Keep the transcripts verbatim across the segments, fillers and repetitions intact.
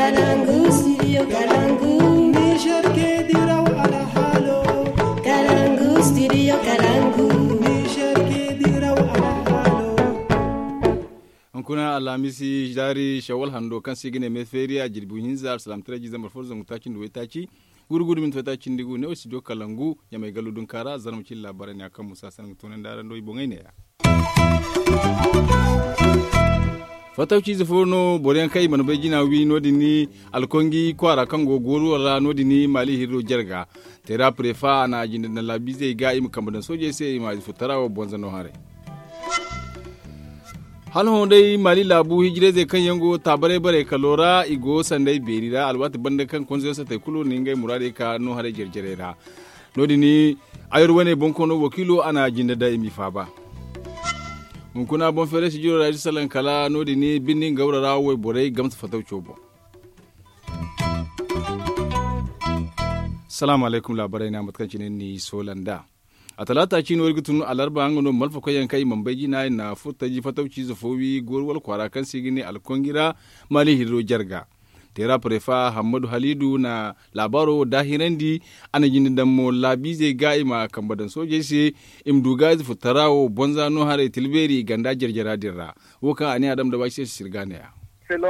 Kalangu studio kalangu. Niger ke diraw alhalo. Kalangu studio kalangu. Niger ke diraw alhalo. Hunkuna alhamisi zaari shawal hando kaŋ se i ga ne me feeriya jirbi hinza alsalam tira jiizambar fo zangu taaci nda waytaaci. Gurgudu minti waytaaci nda gu ne wo studio kalangu ɲamay gallu dunkaara zarma cilla laabaarey ne a kaŋ musa sangu toonandi araŋ do i boŋey ne ya. Fatawci ize fo no boro yaŋ kaŋ i mana bay jina wi no- din ni alkongi kwaara kaŋ go gooru wara no- din ni maali hirro jarga. Teera prefa a na a jinde daŋ laabiizey ga i ma kambe daŋ soojey se i ma ize fo tara wo bonza no haray. Hala hõ day maali laabu hijirayzey kaŋ yaŋ go taabaray baray kalo ra i go sanday beeri ra alwaati banda kaŋ konzoyaŋ satay kulu na ngey muraadey ka no haray jare jarey ra. No- din ni ayar wane bonkoono wakiilo a na a jinde daŋ i m'i faaba. Hunkuna boŋ feeray sijiro ra i si salaŋ kala no- din ni birni ngawra ra wayborey gamsa fatawco boŋ. Salaamu alaykum laabaray no a mate kaŋ cine ni soola nd'a. A talaata ciino iri ga tun alarba nga no malfakoy yaŋ kaŋ i mana bay jina i na furtaji fatawciize fo wi goori wala kwaara kaŋ se i ga ne alkongi ra maali hirro jarga. Teera prefa hammadu haliidu na laabaaro wo daahirandi. A na jinde daŋ mo laabiizey ga i ma kambe daŋ soojey se i ma du ga ize furtara wo bonza no haray tilbeeri i ganda jare jara din ra. Wo kaŋ a ne a dam da baasi se sirga ne ya.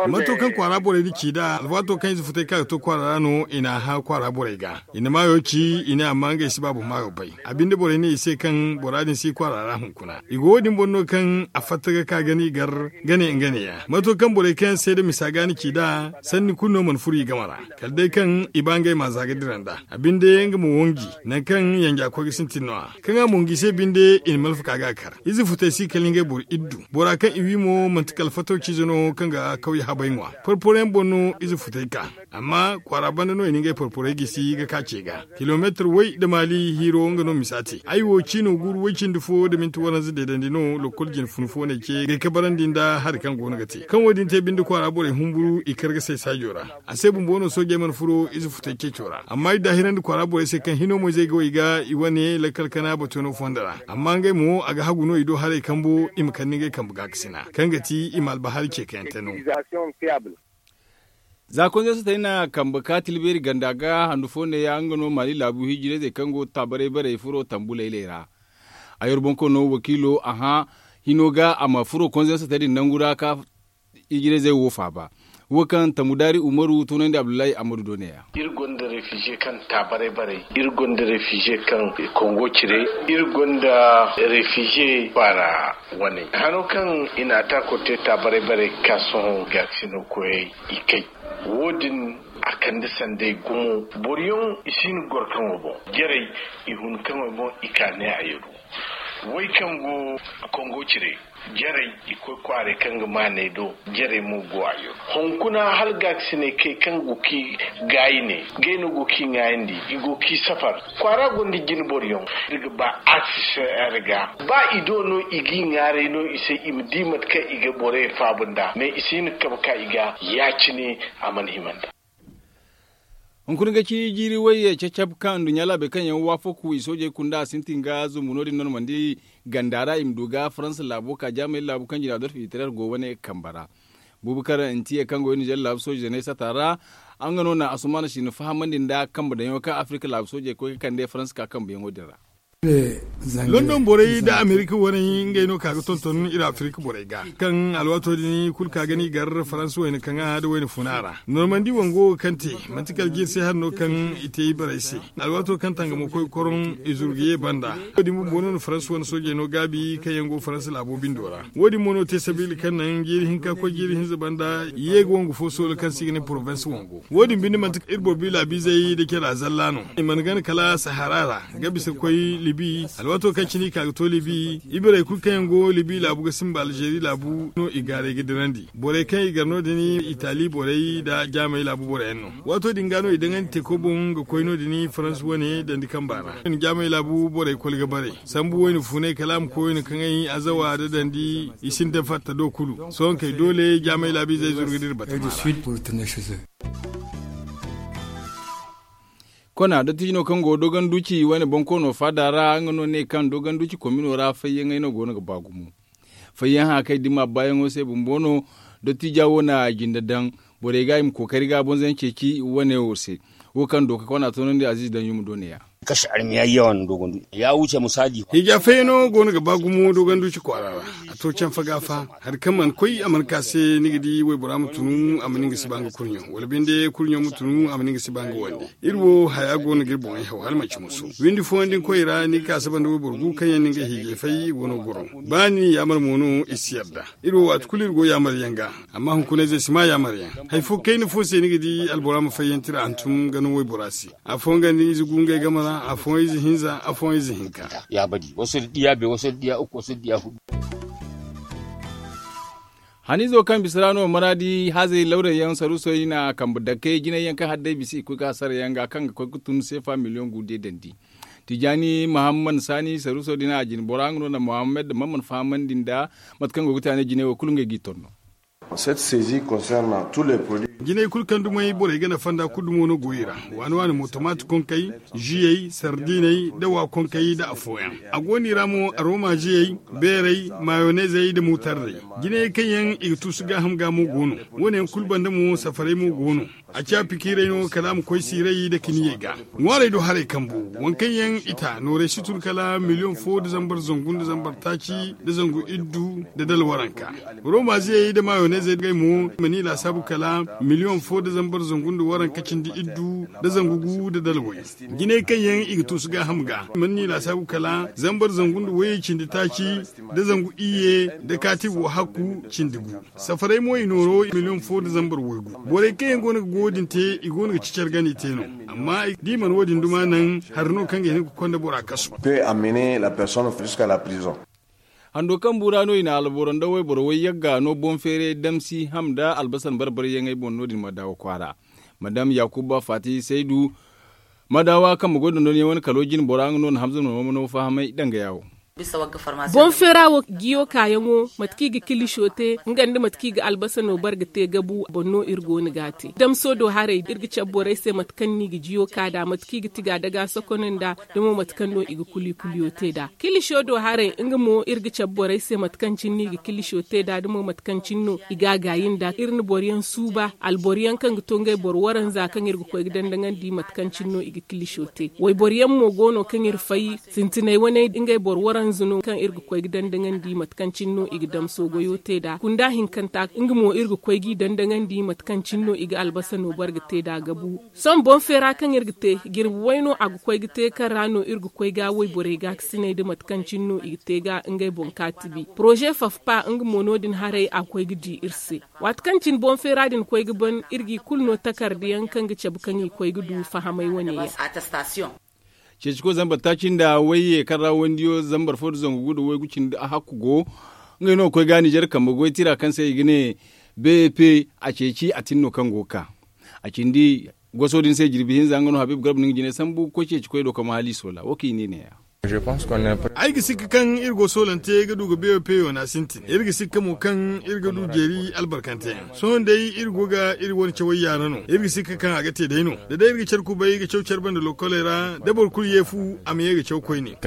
Mato kaŋ kwaara borey na ci nd'a alwaato kaŋ ize futay ka ga to kwaara ra no i n'a hã kwaara borey ga. I na maayo ci i ne amma ngey si ba boŋ maayo bay. A binde borey ne i se kaŋ bora din si kwaara ra hunkuna i go wo- din boŋ no kaŋ a fatta ga ka gana i gar gane nga ne ya mato kaŋ borey kaŋ yaŋ seeda misa ga ni ci nd'a sanni kulu no mana furo i game ra. Kala day kaŋ i ba ngey ma za ga dira nd'a. A binde nga ma wanji nangu kaŋ yanja koy ga sintin no- ya kaŋ a mo ngi se binde i na malfa ka ga a kar. Ize futay si kala ngey boro iddu bora kaŋ i wi mo manti kala fatawciize no kaŋ ga kawya habay ŋwa. Porporo yaŋ boŋ no ize futay ka. Amma kwaara banda no i na ngey porporey gisi ga ka ce ga kilomeetir way nda maali hiiro nga no misa te ay wo ciino guuru way cindi fo nda minti waranza deedandi no lokol jine funu fo no ay ce ga ay kabarandi nda hari kaŋ go no ga te kaŋ wo- din te binde kwaara borey humburu i kar ga say saajo ra. A se bumbo no soojey mana furo ize futay ceeco ra amma i daahirandi kwaara borey se kaŋ hino mo ize ga wo i ga i wane lakkal kana batuyaŋo fondo ra. Amma ngey mo a ga hagu no i do haray kambo i ma kande ngey kambe gaakasina kaŋ ga ti i ma albahari ce kaŋ yaŋ te no. Za konzey sotey na kambe ka tilbeeri ganda ga handu fo neeya nga no maali laabu hijirayzey kaŋ go taabaray barey furo tambu laylay ra. Ayar bonkoono wakiilo a hã hino ga a ma furo konzey sotey din nangu ra ka hijirayzey wo faaba. Wo kaŋ tambu daari umaru toonandi abdullahi ammadu do neeya. Iri gonda refize kaŋ taabaray barey iri gonda refize kaŋ kongo cire iri gonda refize kwaara wane hano kaŋ i na atako te taabaray barey ga ka sohõ gaakasino koyey i kay. Wo- din a kande sanday gumo boro yaŋ i si hin ga goro kaŋo boŋ jarey i hun kaŋo boŋ i ka ne a yaru. Way kaŋ go kongo cire jarey i koy kwaaray kaŋ ga maanay do jarey mo go a yaru hunkuna hala gaakasinay kay kaŋ go ki gaayi ne. Ngey no go k'i ŋaayandi i go k'i safar. Kwaara gonda jine boro yaŋ iri ga ba a si se iri ga ba i do no i g'i ŋaaray no i se i ma di mate kaŋ i ga borey faabu nd'a mais i si hin ga kabe ka i ga ya- cine. A mana hima nd'a. Hunkuna ga ci jiiri wayye cacab kaŋ nduɲɲa laabey kaŋ yaŋ waafaku i soojey kunda a sintin ga zumbu no- din normandi ganda ra i ma du ga faransa laabo ka jaamay laabu kaŋ jina adolf hitler go wane kambe ra. Bubakar ntiye kaŋ go nizer laabu sooje zaney sata ra nga no na asumaana siina fahamandi nda kambe daŋyaŋo kaŋ afirika laabu soojey koy ga kande faransa ka kambeyaŋo din ra. London borey nda amerika waney ngey no ka ga tonton iri afirika borey ga kaŋ alwaato din kulu ka ga no i gar faransa wayna kaŋa nda wayna funa ra. Normandi wango wo kaŋ te manti kala jiiri se hari no kaŋ i te ibarey se. Alwaato kaŋ tangamo koy koroŋ i zuru ga ye banda. Wo- din bumbo no na faransa wane soojey no gaabi kaŋ yaŋ go faransa laabo bindo ra. Wo- din mo no te sabiila kaŋ naŋ jiiri hinka koy jiiri hinza banda ye ga wangu fo soola kaŋ se i ga ne porovensi wango. Wo- din binde manti iri boro bi laabiizey nda care a zalla no. I mana gana kala sahara ra ga bisa ga koy libi. Alwaato kaŋ cine i ka ga to libi ibarey kulu kaŋ yaŋ go libi laabu ga simba alzeeri laabu no i gaaray ga dirandi. Borey kaŋ i gar no- din itali borey nda jaamay laabu boro yaŋ no. Waato din ga no i daŋandi teeko boŋ ga koy no- din faransa wane dandi kamba ra. Jaamay laabu borey koli ga bare sambu wayna funay kala a ma koy wayna kaŋay azawa nda dandi i sinda fatta do kulu sohõ kay doole jaamay laabiizey zuru ga dira batama ra. Kona dottijo no kaŋ go dogon duci wane bonkoono faada ra nga no ne kaŋ dogon duci komino ra fayyaŋey no go no ga ba gumo. Fayyaŋ hã kaŋ i dimma baayaŋo se bumbo no. Dottija wo na a jinde daŋ borey ga i ma kookari ga bonzayaŋ ceeci wane wo se. Wo kaŋ dooka kwana toonandi aziiz daŋ yuma do ne-ya. Kashi armiya yawan dogon du ya wuce misali. Hija fayyaŋo go no ga ba gumo dogon duci kwaara ra. A to canfa ga fa hari kaŋ mana koy a mana ka se ni ga di waybora ma tunu a ma ni nga si ba nga kurɲo wala binde kurɲo ma tunu a ma ni nga si ba nga wande. Iri wo haya go no ga iri boŋey haw hala manci musu windi fooyaŋ din koy ra ni ga ka saba nda wayboro gu kaŋ yaŋ no ngey hiijay fay i go no ga goro. Ba ni yaamar mo no i si yarda. Iri wo waati kulu iri go yaamar yaŋ ga. Amma hunkunayzey si ma yaamar yaŋ hari fo kayna fo se ni ga di albora ma fayyanti ra hantum ga no waybora se. Afooyaŋ ga ni ize gu ngey game ra afooyaŋ ize hinza afooyaŋ ize hinka. Yaabadi wasu da diya be wasu da diya uku wasu da diya hudu. Haniizo kaŋ bisa ra no maraadi hazey lawray yaŋ saruusoy na kambe dakkey jinay yaŋ kaŋ hari day bisa i koy ga sara yaŋ ga kaŋ ga koy ga tun seefa miliyoŋ gu de dandi. Tijaani mahamman saani saruuso din a jine bora nga no na muhammad mamman fahamandi nda mate kaŋ go ga te a ne jinay wo kulu ngey g'i torno. Jinay kulu kaŋ dumey borey ga nafa nda kulu dumo no go i ra. Waani waani mo tomaati konkey, ziyey, sardiney, da wa konkey da afooyaŋ. A go no i ra mo aroma ziyey, beerey, mayonezey da mutarrey. Jinayey kaŋ yaŋ i ga tuusu gaaham ga mo go no. Wo- ne yaŋ kulu banda mo safarey mo go no. A ciya pikiirey no kala a ma koy siiray nda kiniyey ga. Ŋwaarey do haray kambu, waŋ kaŋ yaŋ i ta noorey si tun kala miliyoŋ fo nda zambar zangu nda zambar taaci nda zangu iddu nda dala waranka. Rooma ziyey nda maayonezey ngey mo i mana i laasaabu kala miliyoŋ fo nda zambar zangu nda waranka cindi iddu nda zangu gu nda dala way. Jinay kaŋ yaŋ i ga tuusu gaaham ga i mana ni laasaabu kala zambar zangu nda wayey cindi taaci nda zangu iyye nda kaati wo hakku cindi gu. Safaray mo i nooro miliyoŋ fo nda zambar waygu. Borey kaŋ yaŋ go no ga goyo din te i go no ga ci care gana i te no. Amma da i mana wo- din duma naŋ hari no kaŋ ga hin ga konda bora kasu. Hando kaŋ buura no i na alboro nda wayboro way yagga no boŋ feeray damsi ham nda albasan barbaryaŋey boŋ no- din madawa kwaara. Madam yakuba fati saydu madawa kaŋ ma goy dondonyaŋ wane kalo jine bora nga no na hamza no ma no fahamay dangaya wo. Boŋ feera wo jiyo kaayaŋo mate kaŋ i ga kilisho te nga nda mate kaŋ i ga albasa no bare ga te gabu boŋ no iri go no ga a te damso do haray iri ga cabe borey se mate kaŋ no i ga jiyo ka nd'a mate kaŋ i ga tiga daga sokono nd'a da mo mate kaŋ no i ga kuli kuliyo te nd'a. Kilisho do haray nga mo iri ga cabe borey se mate kaŋ cine no i ga kilisho te nd'a da mo mate kaŋ cine no i ga a gaayi nd'a iri na boro yaŋ suuba alboro yaŋ kaŋ ga to ngey boro waranza kaŋ iri ga koy ga dandaŋandi mate kaŋ cine no i ga kilisho te wayboro yaŋ mo go no kaŋ iri fay sintinay wane ngey boro waranza no kaŋ iri ga koy ga dandaŋandi mate kaŋ cine no i ga damso goyo te nd'a kunda hinkanta nga mo iri ga koy g'i dandaŋandi mate kaŋ cine no i ga albasa no bare ga te nd'a gabu. Sohõ boŋ feera kaŋ iri ga te jirbi way no a ga koy ga te kaŋ ra no iri ga koy ga wayborey gaakasiney nda mate kaŋ cine no i ga te ga ngey boŋ kaatibi poroze fafpa nga mo no- din haray a ga koy ga di iri se. Waati kaŋ cine boŋ feera din koy ga ban iri g'i kulu no takarda yaŋ kaŋ ga cabe kaŋ i koy ga du fahamay wane yaŋ. Ceeci koy zambar taaci nda wayye kaŋ ra wandiyo zambar fo nda zangu gu nda waygu cindi a hakku go. Ngey no ga koy ga nizer kambe goy tira kaŋ se i ga ne bep a ceeci a tin no kaŋ go ga ka a cindi goso din se jirbi hinza nga no habiibu garba no nga jine sambu ga koy ceeci koy do kama hala i soola wo kaŋ i ne neeya. Ay ga sikka kaŋ iri go soolante ga du ga beeyo peeyo no a sintin iri ga sikka mo kaŋ iri ga du jeeri albarkanteyaŋ sohõ day iri go ga iri wane cawey yaara no iri ga sikka kaŋ a ga te day no da day iri ga care kubay ga caw care banda lokoley ra da boro kulu ye fu a ma ye ga caw koyne.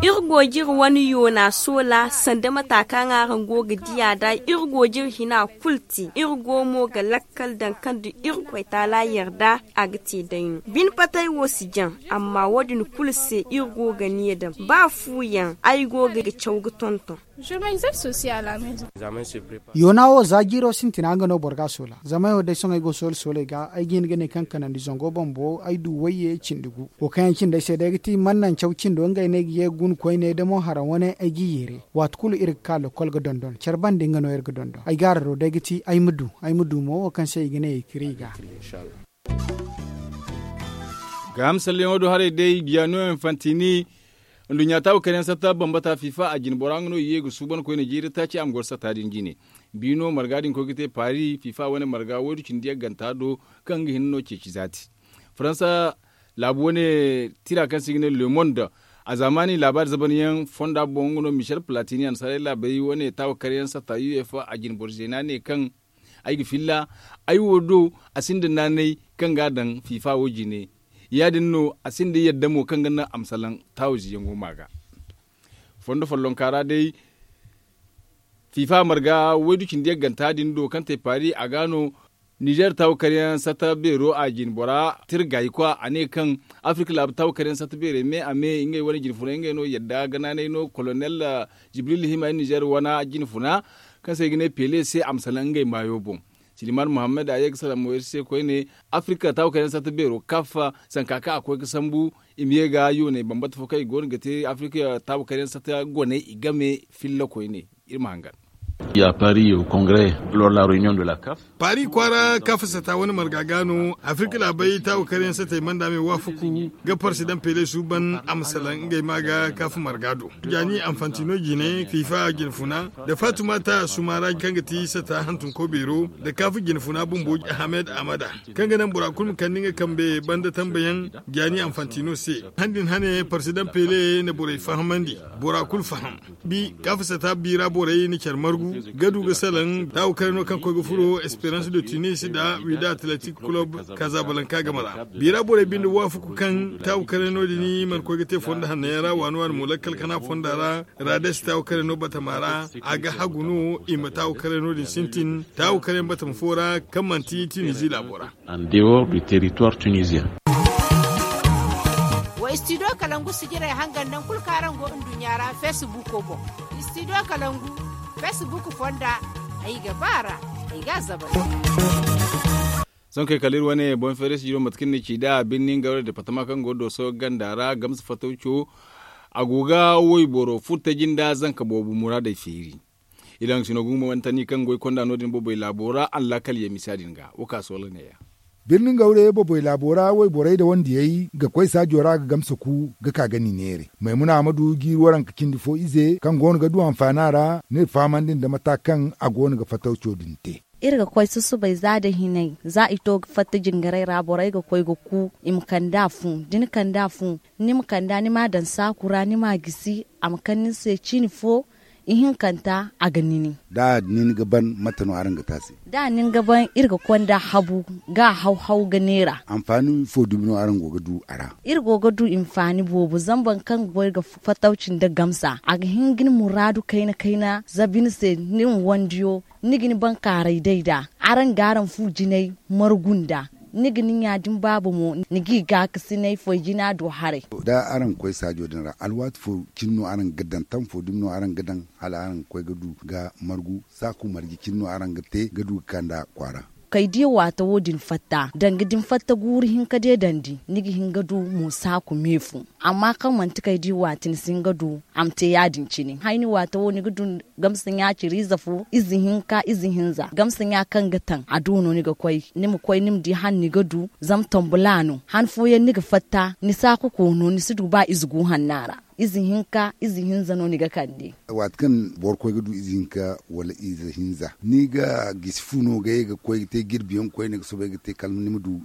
Iri go ga iri wane yoona soola sanda mata kaŋ araŋ go ga diya nd'a iri go ga iri hina kulu te iri go mo ga lakkal daŋ kaŋ da irkoy taala yarda a ga te day no bine patay wo si jaŋ amma wo- din kulu se iri go ga ni ya daŋ ba fu yaŋ ay go ga caw ga tonton. Yoona wo za jiiro sintina nga no boro ga a soola zama ay wo day sohõ ay go soola sooley ga ay ga hin ga ne kaŋ kanandi zango bambo ay du wayye cindi gu wo kaŋ yaŋ cindi ay se day ga ti man naŋ caw cindo ngey no ay ga ye ga guna koyne da mo haraŋ wane ay g'i yeere. Waati kulu iri ga ka lokol ga dondon care banda nga no iri ga dondon ay gaararo day ga ti ay ma du ay ma du mo wo kaŋ se i ga ne i kiri i ga. Gaaham salleyaŋo do haray day biyano infantini nduɲɲa taabu karyaŋ satta bambata fifa a jine bora nga no i ye ga suuban koyne jiiri taaci a ma goro satta din jine. Biino marga din koy ga te paris fifa wane marga waydu cindi yagganta do kaŋ ga hinne no ceeci zaati. Faransa laabu wane tira kaŋ se i ga ne le monde a zaamaani laabaari zabanyaŋ fonda boŋ nga no michel platini a na saray laabey wane taabu karyaŋ satta uefa a jine boro zeena ne kaŋ ay ga filla ay wo do a sinda naanay kaŋ ga a daŋ fifa wo jine. Ya- din no a sinda yadda mo kaŋ ga naŋ a ma salaŋ taawo ziyaŋo ma ga. Fondo follonka ra day Fiifa marga waydu cindi yagganta din do kaŋ te paari a ga no. Nizer taawu karyaŋ satta beero a jin bora tirgayi kwa a ne kaŋ afirka laabu taawu karyaŋ satta beerey me a me ngey wane jin funay ngey no yadda ganaanay no kolonel jibril hima nizer wane jin funa kaŋ se i ga ne pele se a ma salaŋ ngey maayo boŋ. Siliman muhammad a ye ga salaŋ mo iri se koyne. Afirka taawu karyaŋ satta beero kaf zanka kaŋ a koy ga sambu i ma ye ga yoonay bambata fo kaŋ i go no ga te afirka taawu karyaŋ satta goney i game filla koyne. Iri ma hangan. Ya paris au congrès lors la réunion de la caf. Paris kwaara kafa sata wane marga ga no afirka laabay taawu karyaŋ satey manda me waafaku ga parsidaŋ pele suuban a ma salaŋ ngey ma ga kafa marga do. Jaani anfantino jine fifa jine funa nda fatumata sumara kaŋ ga ti sata hantum kobeero nda kafa jine funa bumbo ahmed amada kaŋ ga naŋ bora kulu ma kande nga kambe banda tambayaŋ. Jaani anfantino se han din hane parsidaŋ pele na borey fahamandi. Bora kulu faham bi kafa sata biira borey na care margu ga du ga salaŋ taawu karano kaŋ koy ga furo esperance de tunis nda wida atletic club kazabalanka game ra. Biira borey binde waafaku kaŋ taawu karano din mana koy ga te fondo hanno yaŋ ra waani waani mo lakkal kana fonda ra. Rades taawu karano batama ra a ga hagu no i ma taawu karano din sintin taawu karayaŋ batama fo ra kaŋ manti tunisie laabo ra. An dehors du territoire tunisien. Wa studio kalangu sijirey hangan naŋ kulu kaŋ araŋ go nduɲɲa ra facebook boŋ. Studio kalangu facebook fonda ay ga ba ra ay ga a zabari. Sohõ kay kala iri wane boŋ feere sijiro mate kaŋ ni ci nd'a birni nga wala departama kaŋ go dooso ganda ra gamsa fatawco. A go ga wayboro furtaji nda zanka boobo muraadey feeri. Iri haŋ sino ga humbantani kaŋ goy konda no- din boobey laabo ra a na laakal ye misa din ga wo ka soola neeya. Birni nga wala ye boobey laabo ra wayborey nda wandiyey ga koy saajo ra ga gamsa ku ga ka ga ni neeray maymuna ahmadu ga iri waranka cindi fo ize kaŋ go no ga du anfaana ra. No iri fahamandi nda mata kaŋ a go no ga fatawco din te. Iri ga koy susubay za nda hinay za i to ga fatta jingaray ra borey ga koy ga ku i ma kand'a fu da ni kand'a fu ni ma kand'a ni m'a daŋ saaku ra ni m'a gisi a ma kande ni se ciini fo. Ihinkanta a ga nini. Da nin ga ban mate no araŋ ga te a se? Da nin ga ban iri ga konda habu ga a haw-haw ga neera. Anfaani fo dumi no araŋ go ga du a ra? Iri go ga du hinfaani boobo zama boro kaŋ ga goy ga fatawci nda gamsa a ga hin ga ni muraadu kayna-kayna zabi ni se ni ma wandiyo. Ni ga ni bankaaray day nd'a araŋ ga araŋ fu jinay margu nd'a. Ni ga ni ɲa da ni baaba mo ni g'i gaakasinay foy jina do haray. Da araŋ ga koy saajo din ra alwaati fo cine no araŋ ga daŋ tam fo dumi no araŋ ga daŋ hala araŋ ga koy ga du ga margu saaku marje cine no araŋ ga te ga du ga kand'a kwaara. Kay di waata wo- din fatta danga da ni fatta guuru hinka deedandi ni ga hin ga du mo saaku me fo. Amma kaŋ manti kay di waati ni si hin ga du a ma te ya- din cine hayni waata wo ni ga du. Gamsa ɲa ciri ize fo ize hinka ize hinza gamsa ɲa kaŋ ga taŋ a do no ni ga koy ni ma koy ni ma di han ni ga du. Zama tambula no han fooyaŋ ni ga fatta ni saaku koono ni si du ba ize gu hanna ra. Ize hinka ize hinza no ni ga kande. Waati kaŋ boro koy ga du ize hinka wala ize hinza ni ga gisi fu no ga ye ga koy ga te jirbi yaŋ koyne ga soobay ga te kala ni ma du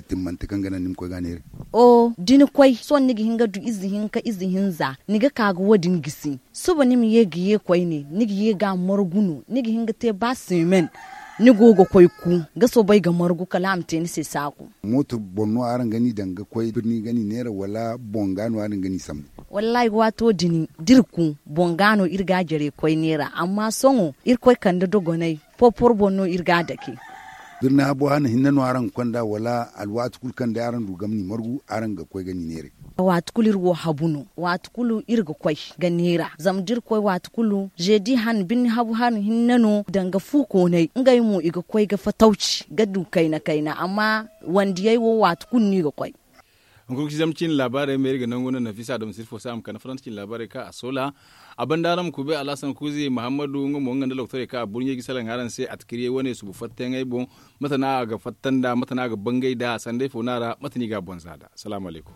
timmante kaŋ ga naŋ ni ma koy ga a neera. O da ni koy sohõ ni ga hin ga du ize hinka ize hinza ni ga ka ga wo- din gisi. Suba ni ma ye ga ye koyne ni ga ye ga a margu no ni ga hin ga te ba seemen. Ni go ga koy ku ga soobay ga margu kala a ma te ni se saaku. Mooto boŋ no araŋ ga ni daŋ ga koy birni ga ni neera wala boŋ ga no araŋ ga ni sambu? Wallaahi waato din da iri ku boŋ ga no iri ga a jare koy neera amma sohõ irkoy kande dogonay. Porpor boŋ no iri ga a dake. Birni habo hane hinne no araŋ ga konda wala alwaati kulu kaŋ day araŋ du ga ma ni margu araŋ ga koy ga ni neeray? Waati kulu iri wo habu no waati kulu iri ga koy ga neera zama da iri koy waati kulu zeedi hane birni habu hane hinne no danga fu koonay ngey mo i ga koy ga fatawci ga du kayna kayna amma wandiyey wo waati kulu no i ga koy. Hunkuna ga ci zama ciine laabaarey ma iri ga nangu no nafisa adama sirfo se a ma kande faransa ciine laabaarey kaŋ a soola. A banda araŋ ma kubay alhasan kuuzi muhammadu nga mo nga nda lokotorey kaŋ a burɲey ga salaŋ araŋ se atakiriyey wane subu fattayaŋey boŋ. Mate no a ga fatta nd'a mate no a ga bangay nd'a sanday fo no a ra mate no i ga a boŋ za nd'a salaamu alaykum.